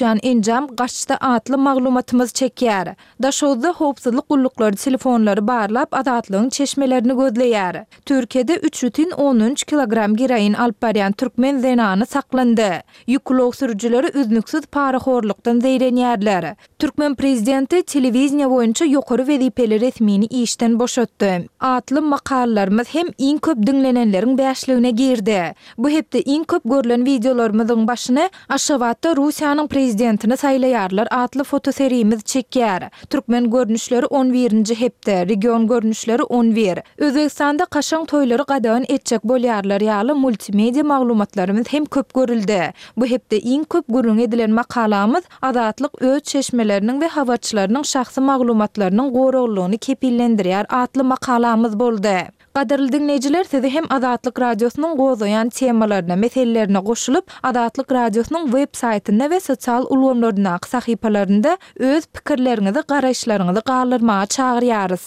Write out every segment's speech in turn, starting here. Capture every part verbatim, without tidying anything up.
Uçýan enjam gaçdy atly maglumatymyz çekýär. Daşoguzda howpsuzlyk gulluklary telefonlary barlap, Azatlygyň çeşmelerini gözleýär. Türkiýede üç bütin ondan üç kilogram geroin alyp barýan türkmen zenany saklandy. Ýük ulag sürüjileri üznüksiz parahorlukdan zeýrenýärler. Türkmen prezidenti telewideniýe boýunça ýokary wezipeli resmini işden boşatdy. Atly makalalarymyz hem iň köp diňlenenleriň bäşligine girdi. Bu hepde iň köp görlen wideolarymyzyň başyny Aşgabatda Russiýanyň prezidentini saýlaýarlar atly fotoserimiz çekýär. Türkmen görnüşleri on birinji hepde, region görnüşleri on bir. Özbegistanda kaşaň toýlary gadagan etjek bolýarlar ýaly multimedia maglumatlarymyz hem köp görüldi. Bu hepde iň köp gürrüňi edilen makalamyz Azatlyk öz çeşmeleriniň we habarçylarynyň şahsy maglumatlarynyň goraglylygyny kepillendirýär atly makalamyz boldy. Gadyrly diňleýjiler, sizi hem Azatlyk Radiosynyň gozgaýan temalaryna, meselelerine goşulyp, Azatlyk Radiosynyň web saýtynda we sosial ulgamlaryndaky sahypalarynda öz pikirleriňizi, garaýyşlaryňyzy galdyrmaga çagyrýarys.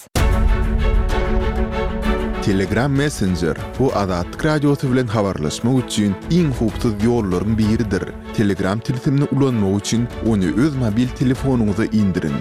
Telegram Messenger, bu Azatlyk Radiosy bilen habarlaşmak üçin iň howpsuz ýollaryň biridir. Telegram tilsimini ulanmak üçin ony öz mobil telefonyňyza indiriň.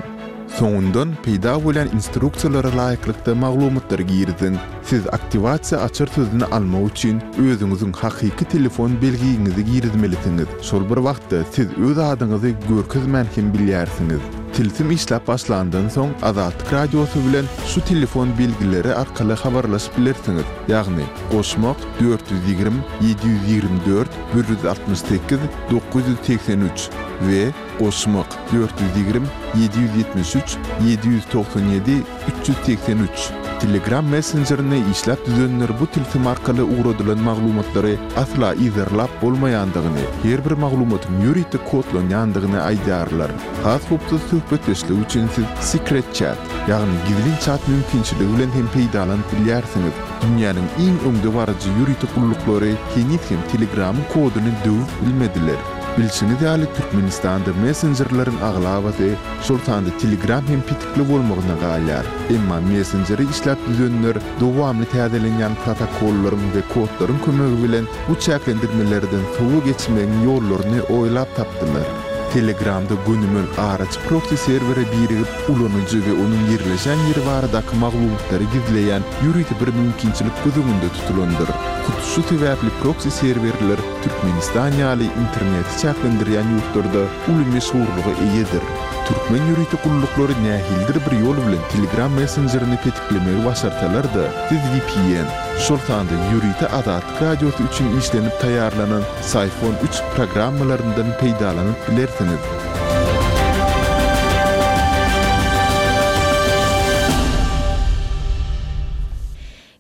Soňundan peýda bolýan instruksiýalara laýyklykda maglumatlary giriziň. Siz aktiwasiýa açar sözüni almak üçin özüňiziň hakyky telefon belgiňizi girizmelisiňiz. Şol bir wagtda siz öz adyňyzy görkezmän hem bilýärsiňiz. Tilsim işläp başlandan soň Azatlyk Radiosy bilen şu telefon belgileri arkaly habarlaşyp bilersiňiz. Ýagny goşmak dört ýüz ýigrimi, ýedi ýüz ýigrimi dört, bir ýüz altmyş sekiz, dokuz ýüz segsen üç we goşmak dört ýüz ýigrimi, ýedi ýüz ýetmiş üç, ýedi ýüz togsan ýedi, üç ýüz segsen üç. Telegram messenjerini işläp düzenler bu tilsim arkaly ugradylan maglumatlary asla yzarlap bolmaýandygyny, her bir maglumatyň ýörite kodlanýandygyny aýdýarlar. Has howpsuz söhbetdeşlik üçin siz Secret Chat, ýagny gizlin chat mümkinçiligi bilen hem peýdalanyp bilýärsiňiz. Dünýäniň iň öňdebaryjy ýörite gulluklary heniz hem Telegramyň koduny döwüp bilmediler. Bilşiňiz ýaly, Türkmenistanda messenjerleriň aglabasy, şol sanda Telegram hem petikli bolmagyna galýar. Emma messenjeri işläp düzenler dowamly täzelenýän protokollaryň we kodlaryň kömegi bilen bu çäklendirmelerden sowa geçmegiň ýollaryny oýlap tapdylar. Telegramda gönümel araçy proksi serwere birigip, ulanyjy we onuň ýerleşen ýeri baradaky maglumatlary gizleýän ýörite bir mümkinçilik göz öňünde tutulandyr. Hut şu sebäpli proksi serwerler Türkmenistan ýaly interneti çäklendirýän ýurtlarda uly meşhurlyga eýedir. Türkmen ýörite gulluklary nähilidir bir ýol bilen Telegram messenjerini petiklemegi başarsalar-da, siz V P N, şol sanda ýörite Azatlyk Radiosy üçin işlenip taýýarlanan Psiphon üç programmalaryndan peýdalanyp bilersiňiz.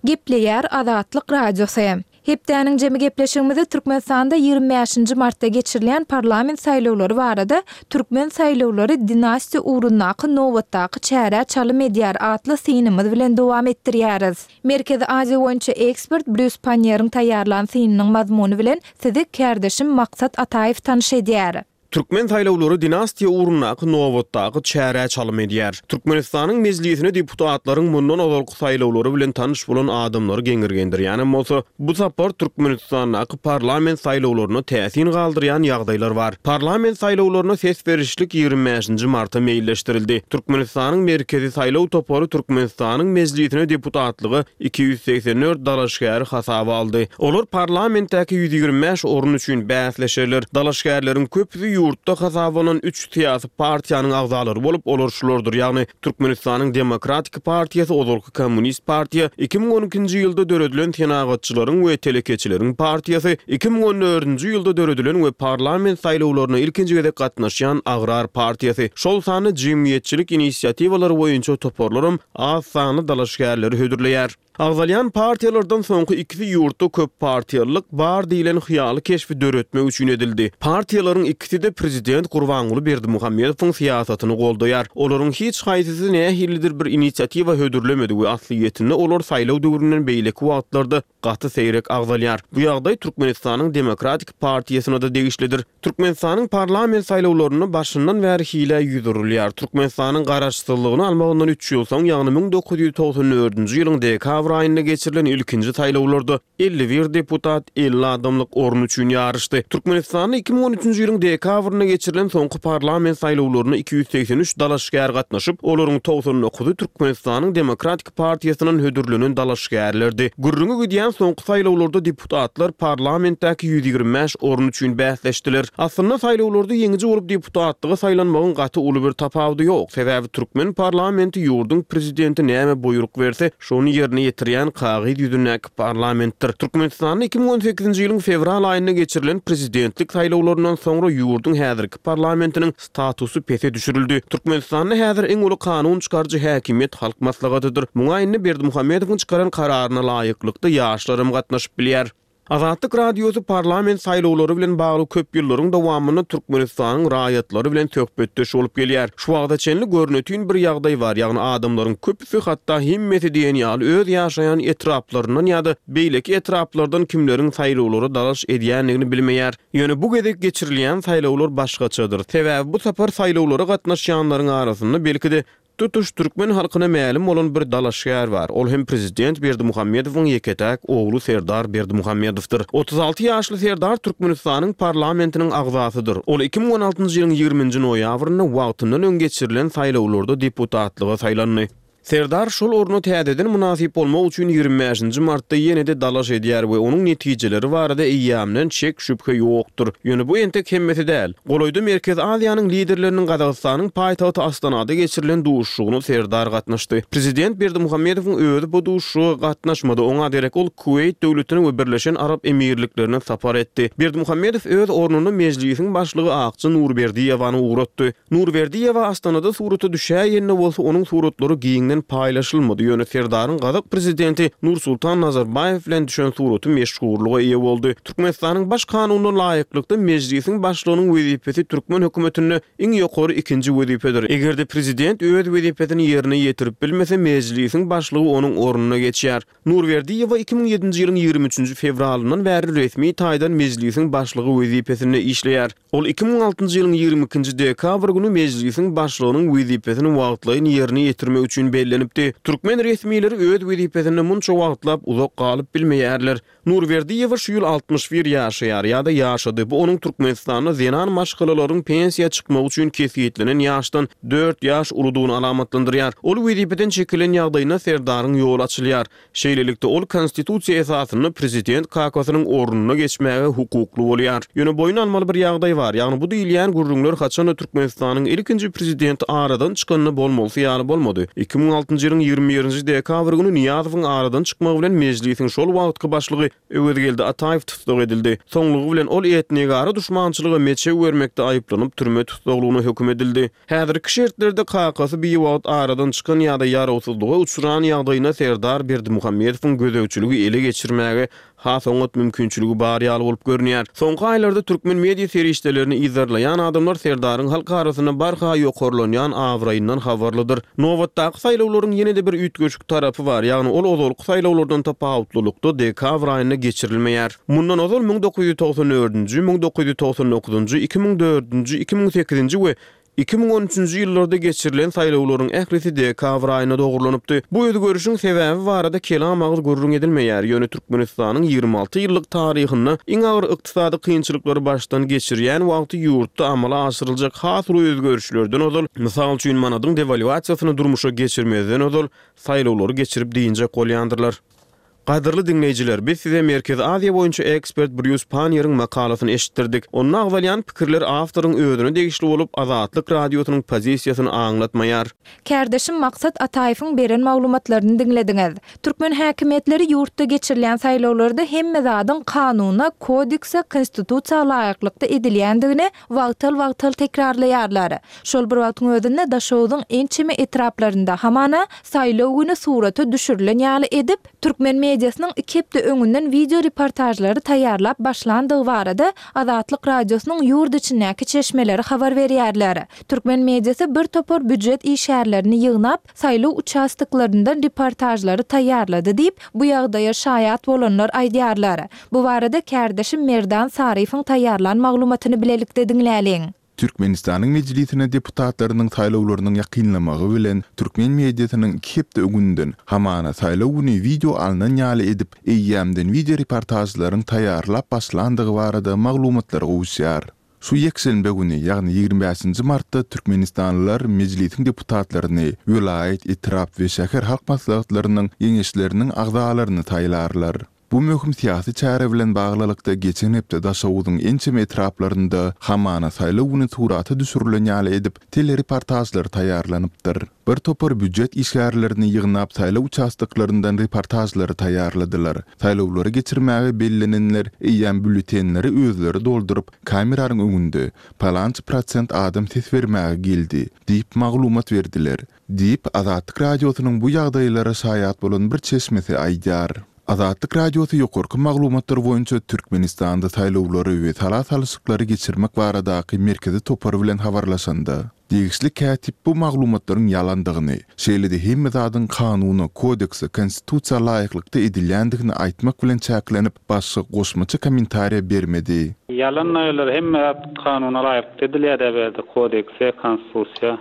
Gepleýär Azatlyk Radiosy. Hepdäniň jemi gepleşigimizi Türkmenistanda ýigrimi bäşinji martda geçirilen parlament saýlawlary barada Türkmen saýlawlary dinastiýa ugrundaky nobatdaky çärä çalym edýär atly synymyz bilen dowam etdirýäris. Merkezi Aziýa boýunça ekspert Brýus Panniýeriň taýýarlan synynyň mazmuny bilen sizi kärdeşim Maksat Ataýew tanyş edýär. Türkmen saýlawlary dinastiýa ugrundaky nobatdaky çärä çalym edýär. Türkmenistanyň mejlisine deputatlaryň mundan ozalky saýlawlary bilen tanyş bolan adamlary geňirgendirýänem bolsa, bu sapar Türkmenistandaky parlament saýlawlaryna täsin galdyrýan ýagdaýlar bar. Parlament saýlawlaryna ses berişlik ýigrimi bäşinji marta meýilleşdirildi. Türkmenistanyň merkezi saýlaw topary Türkmenistanyň mejlisine deputatlyga iki ýüz segsen dört dalaşgäri hasaba aldy. Olar parlamentdäki ýüz ýigrimi bäş orun üçin bäsleşerler. Dalaşgärleriň köpüsi ýurtda hasaplanan üç syýasy partiýanyň agzalary bolup, olar şulardyr, ýagny Türkmenistanyň Demokratik partiýasy, ozalky Komünist partiýa, iki müň on ikinji ýylda döredilen Senagatçylaryň we Telekeçileriň partiýasy, iki müň on dördünji ýylda döredilen we parlament saýlawlaryna ilkinji gezek gatnaşýan Agrar partiýasy. Şol sanda jemgyýetçilik inisiatiwalary boýunça toparlaram az sanly dalaşgärleri hödürleýär. Agzalýan partiýalardan soňky ikisi ýurtda köp partiýalylyk bar diýlen hyýaly keşbi döretmek üçin edildi. Partiýalaryň ikisi-de prezident Gurbanguly Berdimuhamedowyň syýasatyny goldaýar. Olaryň hiç haýsysy nähilidir bir inisiatiwa hödürlemedi we aslyýetinde olar saýlaw döwründen beýleki wagtlarda gaty seýrek agzalýar. Bu ýagdaý Türkmenistanyň Demokratik partiýasyna-da degişlidir. Türkmenistanyň parlament saýlawlarynda başyndan bäri hile ýüz urulýar. Türkmenistanyň garaşsyzlygyny almagyndan üç ýyl soň, ýagny müň dokuz ýüz togsan dördünji ýylyň dekabr dekabr aýynda geçirilen ilkinji saýlawlarda elli bir deputat elli adamlyk orun üçin ýaryşdy. Türkmenistanda iki müň on üçünji ýylyň dekabrynda geçirilen soňky parlament saýlawlaryna iki ýüz segsen üç dalaşgär gatnaşyp, olaryň togsan dokuzy Türkmenistanyň Demokratik partiýasyndan hödürlenen dalaşgärlerdi. Gürrüňi gidýän soňky saýlawlarda deputatlar parlamentdäki ýüz ýigrimi bäş orun üçin bäsleşdiler. Aslynda saýlawlarda ýeňiji bolup deputatlyga saýlanmagyň gaty uly bir tapawudy ýok. Sebäbi türkmen parlamenti ýurduň prezidenti näme buýruk berse, şony ýerine ýetirýän kagyz ýüzündäki parlamentdir. Türkmenistanda iki müň on sekizinji ýylyň fewral aýynda geçirilen prezidentlik saýlawlaryndan soňra ýurduň häzirki parlamentiniň statusy pese düşürildi. Türkmenistanda häzir iň uly kanun çykaryjy häkimiýet Halk Maslahatydyr. Muňa indi Berdimuhamedowyň çykaran kararyna laýyklykda ýaşlarym gatnaşyp bilýär. Azatlyk Radiosy parlament saýlawlary bilen bagly köp ýyllaryň dowamynda Türkmenistanyň raýatlary bilen söhbetdeş bolup gelýär. Şu wagta çenli görnütün bir ýagdaý bar, ýagny adamlaryň köpüsi hatda hemmesi diýen ýaly öz ýaşaýan etraplaryndan ýa-da beýleki etraplardan kimleriň saýlawlara dalaş edýändigini bilmeýär. Ýöne bu gezek geçirilýän saýlawlar başgaçadyr. Sebäbi bu sapar saýlawlara gatnaşýanlaryň arasynda belki-de tutuş türkmen halkyna mälim bolan bir dalaşgär bar. Ol hem prezident Berdimuhamedowyň ýeke-täk ogly Serdar Berdimuhamedowdyr. Otuz alty ýaşly Serdar Türkmenistanyň parlamentiniň agzasydyr. Ol iki müň on altynjy ýylyň ýigriminji noýabrynda wagtyndan öň geçirilen saýlawlarda deputatlyga saýlandy. Serdar şol orna täzeden mynasyp bolmak üçin ýigrimi bäşinji martda ýene-de dalaş edýär we onuň netijeleri barada eýýämden çek şübhe ýokdur. Ýöne bu entek hemmesi däl. Golaýda Merkezi Aziýanyň liderleriniň Gazagystanyň paýtagty Astanada geçirilen duşuşygyna Serdar gatnaşdy. Prezident Berdimuhamedowyň özi bu duşuşyga gatnaşmady. Oňa derek ol Kuweýt döwletine we Birleşen Arap Emirliklerine sapar etdi. Berdimuhamedow öz ornuna mejlisiň başlygy Akja Nurberdiýewany ugratdy. Nurberdiýewa Astanada surata düşäýende bolsa onuň suratlary giňden paýlaşylmady. Ýöne Serdaryň Gazak prezidenti Nursultan Nazarbaýew bilen düşen suraty meşhurlyga eýe boldy. Türkmenistanyň baş kanunyna laýyklykda mejlisiň başlygynyň wezipesi türkmen hökümetinde iň ýokary ikinji wezipedir. Eger-de prezident öz wezipesini ýerine ýetirip bilmese, mejlisiň başlygy onuň ornuna geçýär. Nurberdiýewa iki müň ýedinji ýylyň ýigrimi üçünji fewralyndan bäri resmi taýdan mejlisiň başlygy wezipesinde işleýär. Ol iki müň altynjy ýylyň ýigrimi ikinji dekabr günü mejlisiň başlygynyň wezipesini wagtlaýyn ýerine ýetirmek üçin bellenipdi. Türkmen resmileri öz wezipesinde munça wagtlap uzak galyp bilmeýärler. Nurberdiýewa şu ýyl altmyş bir ýaşaýar ýa-da ýaşady. Bu onuň Türkmenistanda zenan maşgalalaryň pensiýa çykmagy üçin kesgitlenen ýaşdan dört ýaş uludygyny alamatlandyrýar. Ol wezipeden çekilen ýagdaýynda Serdaryň ýoly açylýar. Şeýlelikde ol konstitusiýa esasynda prezident kakasynyň ornuna geçmäge hukukly bolýar. Ýöne boýun almaly bir ýagdaý bar. Ýagny bu diýilýän gürrüňler haçanda Türkmenistanyň ilkinji prezidenti aradan çykanda bolmalysy ýaly bolmady. Iki müň altynjy ýylyň ýigrimi birinji dekabr günü Niýazowyň aradan çykmagy bilen mejlisiň şol wagtky başlygy Öwezgeldi Ataýew tussag edildi. Soňlugy bilen ol etnigara duşmançylyga meçew bermekde aýyplanyp türme tussaglygyna höküm edildi. Häzirki şertlerde kakasy bir wagt aradan çykan ýa-da ýarawsyzlyga uçran ýagdaýyna Serdar Berdimuhamedowyň gözegçiligi ele geçirmäge has oňat mümkinçiligi bar ýaly bolup görünýär. Soňky aýlarda türkmen media serişdelerini yzarlaýan adamlar Serdaryň halk arasynda barha ýokarlanýan abraýyndan habarlydyr. Nobatdaky saýlawlaryň ýene-de bir üýtgeşik tarapy bar, ýagny ol ozalky saýlawlardan tapawutlylykda dekabr aýynda geçirilmeýär. Mundan ozal müň dokuz ýüz togsan dördünji, müň dokuz ýüz togsan dokuzynjy, iki müň dördünji, iki müň sekizinji we iki müň on üçünji ýyllarda geçirilen saýlawlaryň ählisi dekabr aýyna dogrulanypdy. Bu özgerişiň sebäbi barada kelam agyz gürrüň edilmeýär. Ýöne Türkmenistanyň ýigrimi alty ýyllyk taryhynda iň agyr ykdysady kynçylyklary başdan geçirýän wagty ýurtda amala aşyryljak has uly özgerişlerden ozal, mysal üçin manadyň devalwasiýasyny durmuşa geçirmezden ozal saýlawlary geçirip diýinjek bolýandyrlar. Gadyrly diňleýjiler, biz size Merkezi Aziýa boýunça ekspert Brýus Panniýeriň makalasyny eşitdirdik. Onda agzalýan pikirler awtoryň özüne degişli bolup, Azatlyk radiosynyň pozisiýasyny aňlatmaýar. Kärdeşim Maksat Ataýewiň beren maglumatlaryny diňlediňiz. Türkmen häkimiýetleri ýurtda geçirilýän saýlawlarda hemme zadyň kanuna, kodekse, konstitusiýa laýyklykda edilýändigini wagtal-wagtal tekrarlaýarlar. Şol bir wagtyň özünde Daşoguzyň ençeme etraplarynda hamana saýlaw günü surata düşürilen ýaly edip, türkmen mediasynyň iki hepde öňünden video reportajlary taýýarlap başlandygy barada Azatlyk radiosynyň ýurt içindäki çeşmeleri habar berýärler. Türkmen mediasy bir topar büdjet işgärlerini ýygnap, saýlaw uçastoklaryndan reportajlary taýýarlady diýip, bu ýagdaýa şaýat bolanlar aýdýarlar. Bu barada kärdeşim Merdan Saryfyň taýýarlan maglumatyny bilelikde diňläliň. Türkmenistanyň Mejlisine deputatlarynyň saýlawlarynyň ýakynlamagy bilen, türkmen mediasynyň iki hepde öňünden, hamana saýlaw güni wideo alnan ýaly edip, eýýämden wideoreportažlaryň taýýarlap başlandygy barada maglumatlar gowuşýar. Şu ýekşenbe güni, ýagny ýigrimi bäşinji martda türkmenistanlylar Mejlisiň deputatlaryny, welaýat, etrap we şäher halk maslahatlarynyň Geňeşleriniň agzalaryny saýlarlar. Bu möhüm syýasy çäre bilen baglylykda geçen hepde Daşoguzyň ençeme etraplarynda hamana saýlaw güni surata düşürilen ýaly edip telereportažlar taýýarlanypdyr. Bir topar býujet işgärlerini ýygnap saýlaw uçastoklaryndan reportažlary taýýarladylar. Saýlawlary geçirmäge bellenenler eýýäm býulletenleri özleri dolduryp, kameranyň öňünde palança prosent adam ses bermäge geldi diýip maglumat berdiler, diýip, Azatlyk Radiosynyň bu ýagdaýlara şaýat bolan bir çeşmesi aýdýar. Azatlyk Radiosy ýokarky maglumatlar boýunça Türkmenistanda saýlawlary we sala salyşyklary geçirmek baradaky merkezi topar bilen habarlaşanda, degişli kätip bu maglumatlaryň ýalandygyny, şeýle-de hemme zadyň kanuna, kodekse, konstitusiýa laýyklykda edilýändigini aýtmak bilen çäklenip, başga goşmaça kommentariýa bermedi. Ýalan aýlar, hemme zat kanuna laýyklykda edilýär däberde, kodekse, konstitusiýa.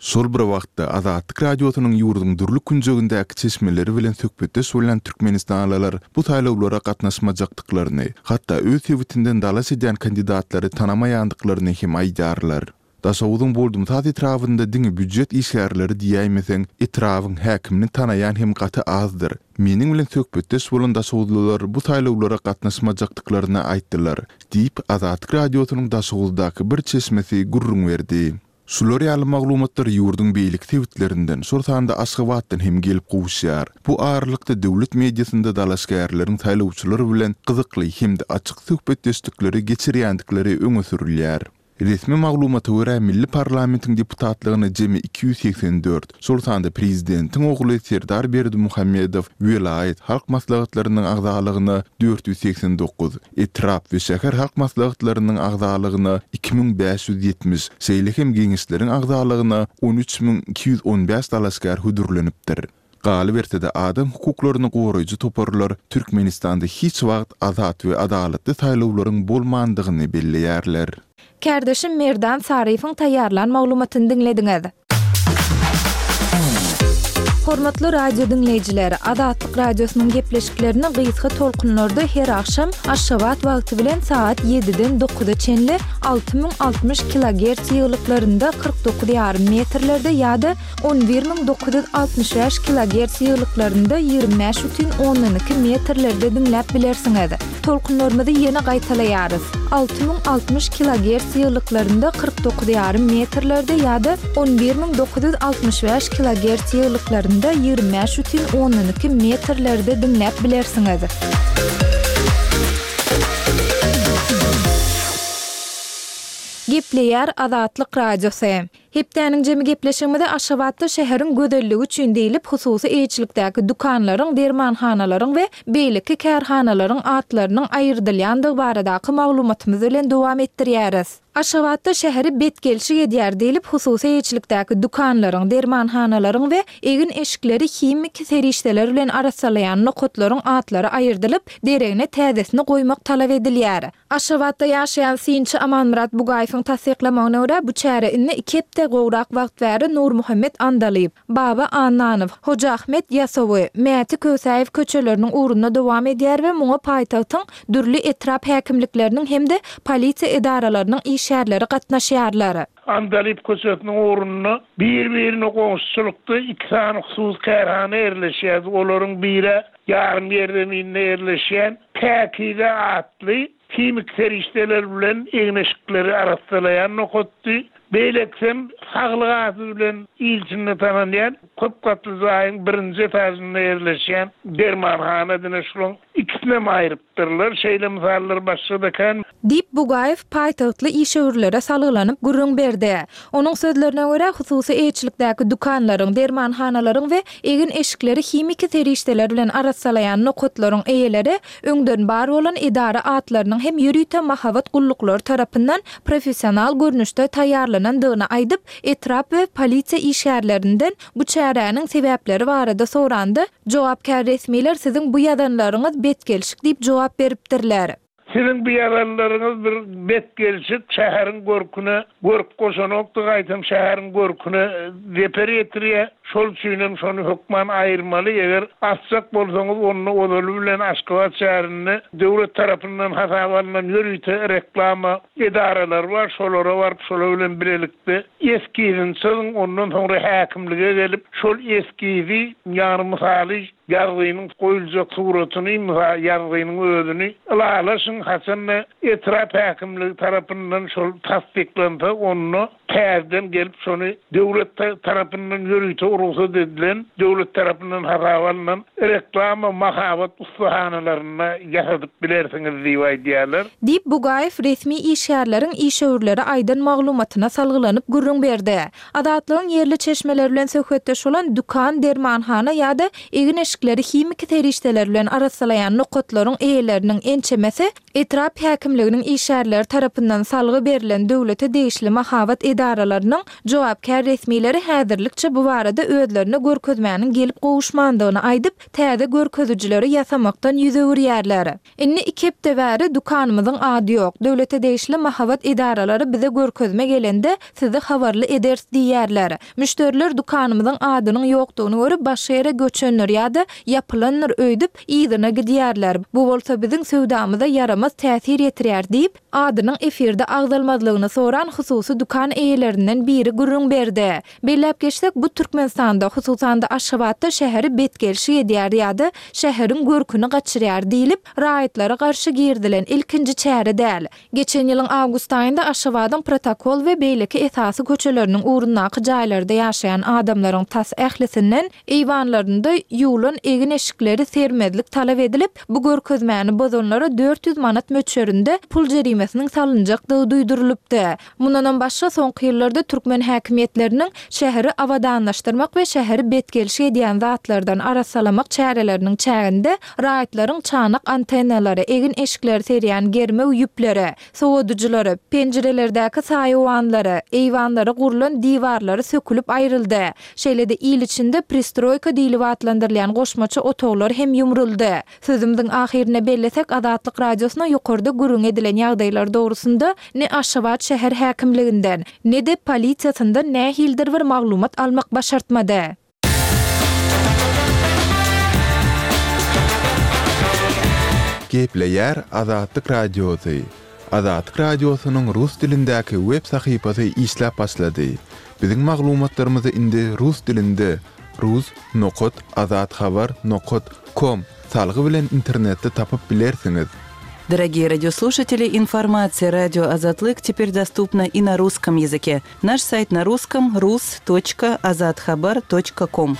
Şol bir wagtda Azatlyk Radiosynyň ýurduň dürli künjegindäki çeşmeleri bilen söhbetdeş bolan türkmenistanlylar bu saýlawlara gatnaşmajakdyklaryny, hatda öz sebitinden dalaş edýän kandidatlary tanamaýandyklaryny hem aýdýarlar. Daşoguzyň Boldumsaz etrabynda diňe býujet işgärleri diýäýmeseň, etrabyň häkimini tanaýan hem gaty azdyr. Meniň bilen söhbetdeş bolan daşoguzlylar bu saýlawlara gatnaşmajakdyklaryny aýtdylar, diýip, Azatlyk Radiosynyň Daşoguzdaky bir çeşmesi gürrüň berdi. Şular ýaly maglumatlar ýurduň beýleki sebitlerinden, şol sanda Aşgabatdan hem gelip gowuşýar. Bu aralykda döwlet mediasynda dalaşgärleriň saýlawçylar bilen gyzykly hem-de açyk söhbetdeşlikleri geçirýändikleri öňe sürülýär. Resmi maglumata görä, milli parlamentiň deputatlygyna jemi iki ýüz segsen dört, şol sanda prezidentiň ogly Serdar Berdimuhamedow welaýat halk maslahatlarynyň agzalygyna dört ýüz segsen dokuz, etrap we şäher halk maslahatlarynyň agzalygyna iki müň bäş ýüz ýetmiş, şeýle hem geňeşleriň agzalygyna on üç müň iki ýüz on bäş dalaşgär hödürlenipdir. Galyberse-de, adam hukuklaryny goraýjy toparlar Türkmenistanda hiç wagt azat we adalatly saýlawlaryň bolmandygyny belleýärler. Kärdeşim Merdan Saryýewiň taýýarlan maglumatyny diňlediňiz. Hormatly radio diňleýjiler, Azatlyk Radiosynyň gepleşiklerini gysga tolkunlarda her agşam Aşgabat wagty bilen sagat ýediden dokuza çenli alty müň altmyş kilogerts ýygylyklarynda kyrk dokuz ýarym metrlerde ýa-da on bir müň dokuz ýüz altmyş bäş kilogerts ýygylyklarynda ýigrimi bäş bütin ondan iki metrlerde diňläp bilersiňiz. Tolkunlarymyzy ýene gaýtalaýarys. Alty müň altmyş kilogerts ýygylyklarynda kyrk dokuz ýarym metrlerde ýa-da on bir müň dokuz ýüz altmyş bäş kilogerts ýygylyklarynda ýigrimi bäş bütin ondan iki metrlerde diňläp bilersiňiz. Gepleýär Azatlyk Radiosy. Hepdäniň jemi gepleşigimizi Aşgabatda şäheriň gözelligi üçin diýlip hususy eýeçilikdäki dükanlaryň, dermanhanalaryň we beýleki kärhanalaryň atlarynyň aýyrdylýandygy baradaky maglumatymyz bilen dowam etdirýäris. Aşgabatda şäheri betgelşik edýär diýlip hususy eýeçilikdäki dükanlaryň, dermanhanalaryň we egin-eşikleri himiki serişdeler bilen arassalaýan nokatlaryň atlary aýyrdylyp, deregine täzesini goýmak talap edilýär. Aşgabatda ýaşaýan synçy Amanmyrat Bugaýewiň tassyklamagyna görä, bu çäre indi iki hepde gowrak wagt bäri Nurmuhammet Andalyp, Baba Annanow, Hoja Ahmet Ýasawy, Mäti Kösäýew köçeleriniň ugrunda dowam edýär we muňa paýtagtyň dürli etrap häkimlikleriniň hem-de polisiýa edaralarynyň işgärleri gatnaşýarlar. Andalyp köçesiniň ugrunda bir-birine goňşuçylykda iki sany hususy kärhana ýerleşýär. Olaryň biri ýarym ýerzeminde ýerleşýän Päkize atly himik serişdeler bilen egin-eşikleri arassalaýan nokatdy. Beýlekisem saglyk ady bilen il içinde tananýan köp gatly jaýyň birinji etajynda ýerleşýän dermanhana diňe şularyň ikisinem aýrypdyrlar. Şeýle mysallar başga-da kän. Diýip, Bugaýew paýtagtly işewürlere salgylanyp gürrüň berdi. Onuň sözlerine görä, hususy eýeçilikdäki dükanlaryň, dermanhanalaryň we egin-eşikleri himiki serişdeler bilen arassalaýan nokatlaryň eýeleri öňden bar bolan edara atlarynyň hem ýörite mahabat gulluklary tarapyndan professional görnüşde taýýarlanandygyny aýdyp, etrap we polisiýa işgärlerinden bu çäräniň sebäpleri barada soranda, jogapkär resmiler siziň bu ýazanlaryňyz betgelşik diýip jogap beripdirler. Siziň bu ýazanlaryňyz bir bet gelşik şäheriň görküne görk goşanokdy, gaýtam şäheriň görküne zeper ýetirýär. Şol üçinem şony hökman aýyrmaly. Eger asjak bolsaňyz, onda ozaly bilen Aşgabat şäherinde döwlet tarapyndan hasaba alynan ýörite reklama edaralar bar. Şolara baryp, şolar bilen bilelikde eskizini çyzyň, ondan soňra häkimlige gelip, şol eskizi, ýagny mysaly ýazgynyň goýuljak suratyny, mysal ýazgynyň özüni ylalaşyň, haçanda etrap häkimligi tarapyndan şol tassyklansa, onda täzeden gelip şony döwlet tarapyndan ýörite rugsat edilen, döwlet tarapyndan hasaba alynan reklama mahabat ussahanalarynda ýasadyp bilersiňiz diýip aýdýarlar. Diýip, Bugaýew resmi işgärleriň işewürlere aýdan maglumatyna salgylanyp gürrüň berdi. Azatlygyň ýerli çeşmeler bilen söhbetdeş bolan dükan, dermanhana ýa-da egin-eşikleri himiki serişdeler bilen arassalaýan nokatlaryň eýeleriniň ençemesi etrap häkimliginiň işgärleri tarapyndan salgy berlen döwlete degişli mahabat edaralarynyň jogapkär resmileri häzirlikçe bu barada özlerine görkezmäniň gelip gowuşmandygyny aýdyp, täze görkezijileri ýasamakdan ýüz öwürýärler. Indi iki hepde bäri dükanymyzyň ady ýok. Döwlete degişli mahabat edaralary bize görkezme gelende sizi habarly ederis diýýärler. Müşderiler dükanymyzyň adynyň ýokdugyny görüp başga ýere göçendir ýa-da ýapylandyr öýdüp yzyna gidýärler. Bu bolsa biziň söwdamyza ýaramaz täsir ýetirýär diýip, adynyň efirde agzalmazlygyny soran hususy dükan eýelerinden biri gürrüň berdi. Belläp geçsek, bu Türkmenistanda, hususan-da Aşgabatda şäheri betgelşik edýär ýa-da şäheriň görküni gaçyrýar diýlip, raýatlara garşy girizilen ilkinji çäre däl. Geçen ýylyň awgust aýynda Aşgabadyň protokol we beýleki esasy köçeleriniň ugrundaky jaýlarda ýaşaýan adamlaryň tas ählisinden eýwanlarynda ýuwlan egin-eşikleri sermezlik talap edilip, bu görkezmäni bozanlara dört ýüz manat möçberinde pul jerimesiniň salynjakdygy duýdurylypdy. Mundanam başga soňky ýyllarda türkmen häkimiýetleriniň şäheri abadanlaşdyrmak we şäheri betgelşik edýän zatlardan arassalamak çäreleriniň çäginde raýatlaryň çanak antennalary, egin-eşikleri serýän germew ýüpleri, sowadyjylary, penjirelerdäki saýawanlary, eýwanlara gurlan diwarlary sökülip aýryldy. Şeýle-de il içinde pristroýka diýlip atlandyrylýan goşmaça otaglar hem ýumruldy. Sözümiziň ahyrynda bellesek, Azatlyk Radiosyna ýokarda gürrüň edilen ýagdaýlar dogrusynda ne Aşgabat şäher häkimliginden, ne-de polisiýasyndan nähilidir bir maglumat almak başartmady. Gepleýär Azatlyk Radiosy. Azatlyk Radiosynyň rus dilindäki web sahypasy işläp başlady. Biziň maglumatlarymyzy indi rus dilinde rus nokat azathabar nokat com salgy bilen internetde tapyp bilersiňiz. Дорогие радиослушатели, информация радио Азатлык теперь доступна и на русском языке. Наш сайт на русском rus точка azathabar точка ком.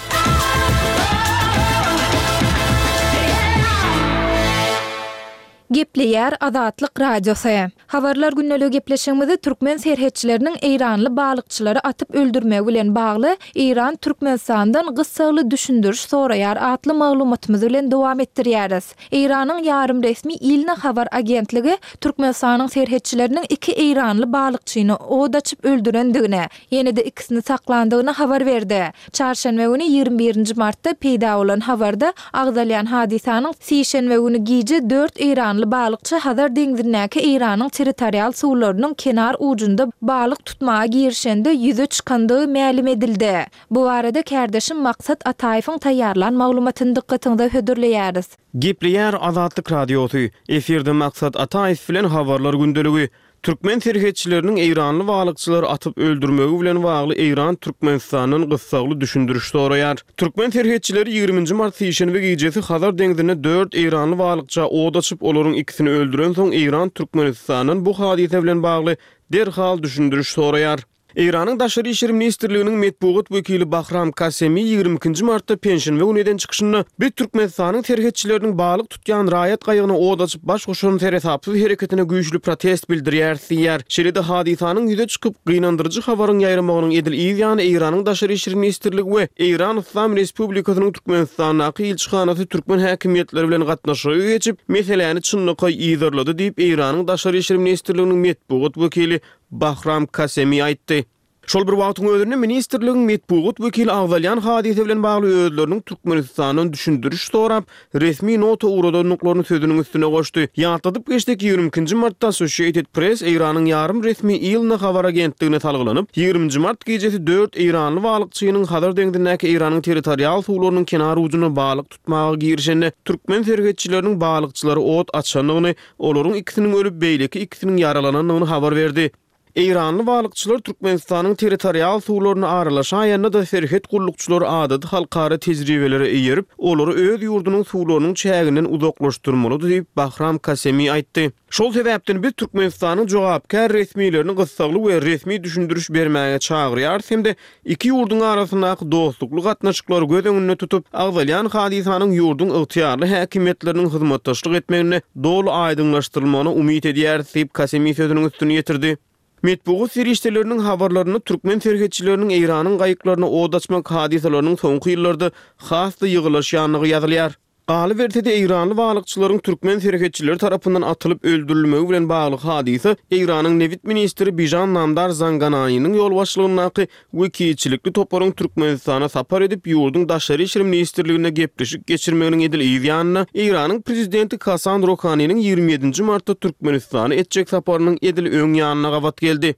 Gepleýär Azatlyk Radiosy. Habarlar gündeligi gepleşigimizi türkmen serhetçileriniň Eýranly balykçylary atyp öldürmegi bilen bagly Eýran Türkmenistandan gyssagly düşündiriş soraýar atly maglumatymyz bilen dowam etdirýäris. Eýranyň ýarym resmi Ilna habar agentligi Türkmenistanyň serhetçileriniň iki Eýranly balykçyny od açyp öldürendigini, ýene-de ikisini saklandygyny habar berdi. Çarşenbe güni ýigrimi birinji martda peýda bolan habarda agzalýan hadysanyň sişenbe güni gije dört Eýranly balykçy Hazar deňzindäki Eýranyň territorial suwlarynyň kenar ujunda balyk tutmaga girişende ýüze çykandygy mälim edildi. Bu barada kärdeşim Maksat Ataýewiň taýýarlan maglumatyny dykgatyňyza hödürleýäris. Gepleýär Azatlyk Radiosy. Efirde Maksat Ataýew bilen habarlar gündeligi. Türkmen serhetçileriniň Eýranly balykçylary atyp öldürmegi bilen bagly Eýran Türkmenistandan gyssagly düşündiriş soraýar. Türkmen serhetçileri ýigriminji mart sişenbe gijesi Hazar deňzinde dört Eýranly balykça od açyp, olaryň ikisini öldüren soň Eýran Türkmenistandan bu hadysa bilen bagly derhal düşündiriş soraýar. Eýranyň Daşary işler ministrliginiň metbugat wekili Bahram Kasemi ýigrimi ikinji martda penşenbe güni eden çykyşynda biz Türkmenistanyň serhetçileriniň balyk tutýan raýat gaýygyna od açyp baş goşan seresapsyz hereketine güýçli protest bildirýär diýýär. Şeýle-de hadysanyň ýüze çykyp gynandyryjy habaryň ýaýramagynyň edil yz ýany Eýranyň Daşary işler ministrligi we Eýran Yslam Respublikasynyň Türkmenistandaky ilçihanasy türkmen häkimiýetleri bilen gatnaşyga geçip, meseläni çynlakaý yzarlady diýip Eýranyň Daşary işler ministrliginiň metbugat wekili Bahram Kasemi aýtdy. Şol bir wagtyň özünde ministrligiň metbugat wekili agzalýan hadysa bilen bagly özleriniň Türkmenistandan düşündiriş sorap, resmi nota ugradandyklaryny sözüniň üstüne goşdy. Ýatladyp geçsek, ýigrimi ikinji martda Associated Press Eýranyň ýarym resmi ILNA habar agentligine salgylanyp, ýigriminji mart gijesi dört eýranly balykçynyň Hazar deňzindäki Eýranyň territorial suwlarynyň kenar ujunda balyk tutmaga girişende türkmen serhetçileriniň balykçylara ot açandygyny, olaryň ikisiniň ölüp, beýleki ikisiniň ýaralanandygyny habar berdi. Eýranly balykçylar Türkmenistanyň territorial suwlaryna aralaşaýanda-da serhet gullukçylary adaty halkara tejribelere eýerip, olary öz ýurdunyň suwlarynyň çäginden uzaklaşdyrmalydy diýip, Bahram Kasemi aýtdy. Şol sebäpden biz Türkmenistanyň jogapkär resmilerini gyssagly we resmi düşündiriş bermäge çagyrýarys hem-de iki ýurduň arasyndaky dostlukly gatnaşyklary göz öňünde tutup, agzalýan hadysanyň ýurduň ygtyýarly häkimiýetleriniň hyzmatdaşlyk etmeginde doly aýdyňlaşdyrylmagyna umyt edýäris diýip, Kasemi sözüniň üstüni ýetirdi. Metbugat serişdeleriniň habarlarynda türkmen serhetçileriniň Eýranyň gaýyklaryna ot açmak hadysalarynyň soňky ýyllarda has-da ýygylaşýandygy ýazylýar. Galyberse-de, eýranly balykçylaryň türkmen serhetçileri tarapyndan atylyp öldürilmegi bilen bagly hadysa Eýranyň nebit ministri Bižan Namdar Zangananynyň ýolbaşçylygyndaky wekilçilikli toparyň Türkmenistana sapar edip, ýurduň Daşary işler ministrliginde gepleşik geçirmeginiň edil yz ýanynda, Eýranyň prezidenti Hasan Rohaniniň ýigrimi ýedinji martda Türkmenistana etjek saparynyň edil öň ýanyna gabat geldi.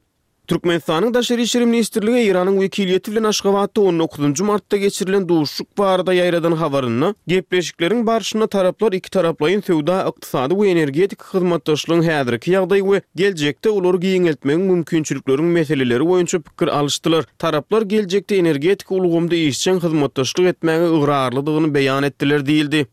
Türkmenistanyň Daşary işler ministrligi Eýranyň wekiliýeti bilen Aşgabatda on dokuzynjy martda geçirilen duşuşyk barada ýaýradan habarynda, gepleşikleriň barşynda taraplar ikitaraplaýyn söwda-ykdysady we energetika hyzmatdaşlygyň häzirki ýagdaýy we geljekde olary giňeltmegiň mümkinçilikleriň meseleleri boýunça pikir alyşdylar. Taraplar geljekde energetika ulgamynda işjeň hyzmatdaşlyk etmäge ygrarlydygyny beýan etdiler diýildi.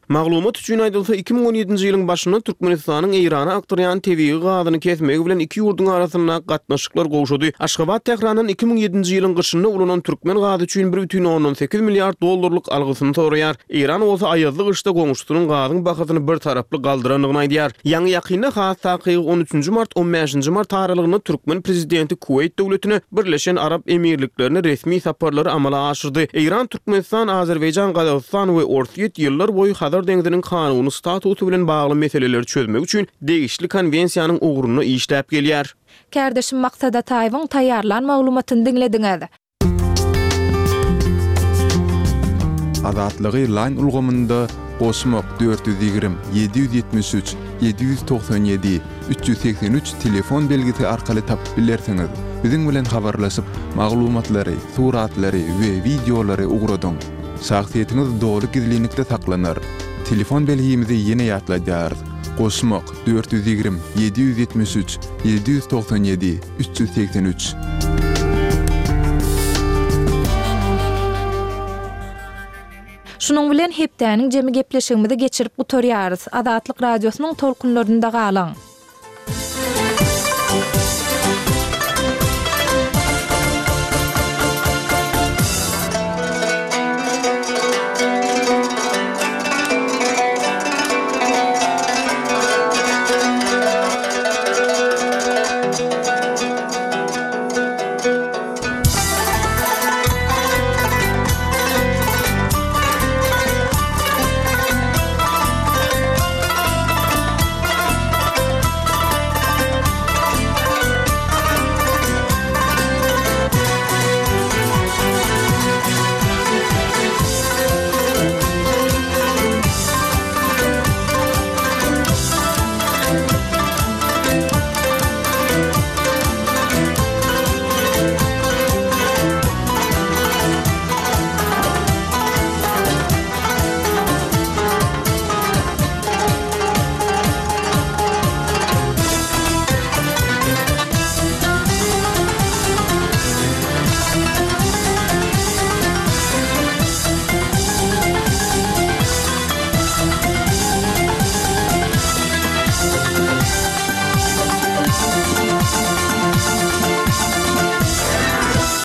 Maglumat üçin aýdylsa, iki müň on ýedinji ýylyň başynda Türkmenistanyň Eýrana akdyrýan tebigy gazyny kesmegi bilen iki ýurduň arasyndaky gatnaşyklar gowşady. Aşgabat Tährandan iki müň ýedinji ýylyň gyşynda ulanan türkmen gazy üçin bir bütin ondan sekiz milliard dollarlyk algysyny soraýar. Eýran bolsa aýazly gyşda goňşusynyň gazyň bahasyny bir taraply galdyrandygyny aýdýar. Ýaňy-ýakynda, has takygy on üçünji mart, on bäşinji mart aralygynda türkmen prezidenti Kuweýt döwletine, Birleşen Arap Emirliklerine resmi saparlary amala aşyrdy. Eýran, Türkmenistan, Azerbaýjan, Gazagystan we Orsýet ýyllar boýy Hazar deňziniň kanuny statusy bilen bagly meseleleri çözmek üçin degişli konwensiýanyň ugrunda işläp gelýär. Kärdeşim Maksat Ataýewiň taýýarlan maglumatyny diňlediňiz. Azatlygy Line ulgamynda goşmak dört ýüz ýigrimi, ýedi ýüz ýetmiş üç, ýedi ýüz togsan ýedi, üç ýüz segsen üç telefon belgisi arkaly tapyp bilersiňiz. Biziň bilen habarlaşyp, maglumatlary, suratlary we wideolary ugradyň. Şahsyýetiňiz doly gizlinlikde saklanar. Telefon belgimizi ýene ýatladýarys. Goşmak dört ýüz ýigrimi, ýedi ýüz ýetmiş üç, ýedi ýüz togsan ýedi, üç ýüz segsen üç. Şunuň bilen hepdäniň jemi gepleşigimizi geçirip gutarýarys. Azatlyk Radiosynyň tolkunlarynda galyň.